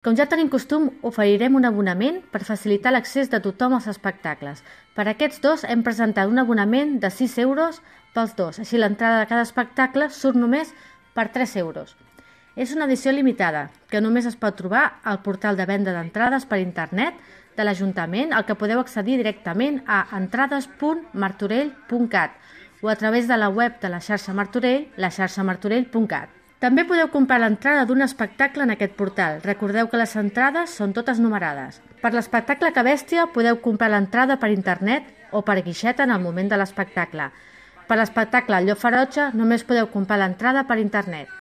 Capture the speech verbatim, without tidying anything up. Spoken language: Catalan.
Com ja tenim costum, oferirem un abonament per facilitar l'accés de tothom als espectacles. Per aquests dos hem presentat un abonament de sis euros pels dos, així l'entrada de cada espectacle surt només per tres euros. És una edició limitada, que només es pot trobar al portal de venda d'entrades per internet de l'Ajuntament, al que podeu accedir directament a entrades punt martorell punt cat o a través de la web de la xarxa Martorell, la xarxa martorell punt cat. També podeu comprar l'entrada d'un espectacle en aquest portal. Recordeu que les entrades són totes numerades. Per l'espectacle Que Bèstia podeu comprar l'entrada per internet o per guixeta en el moment de l'espectacle. Per l'espectacle El Llop Ferotge només podeu comprar l'entrada per internet.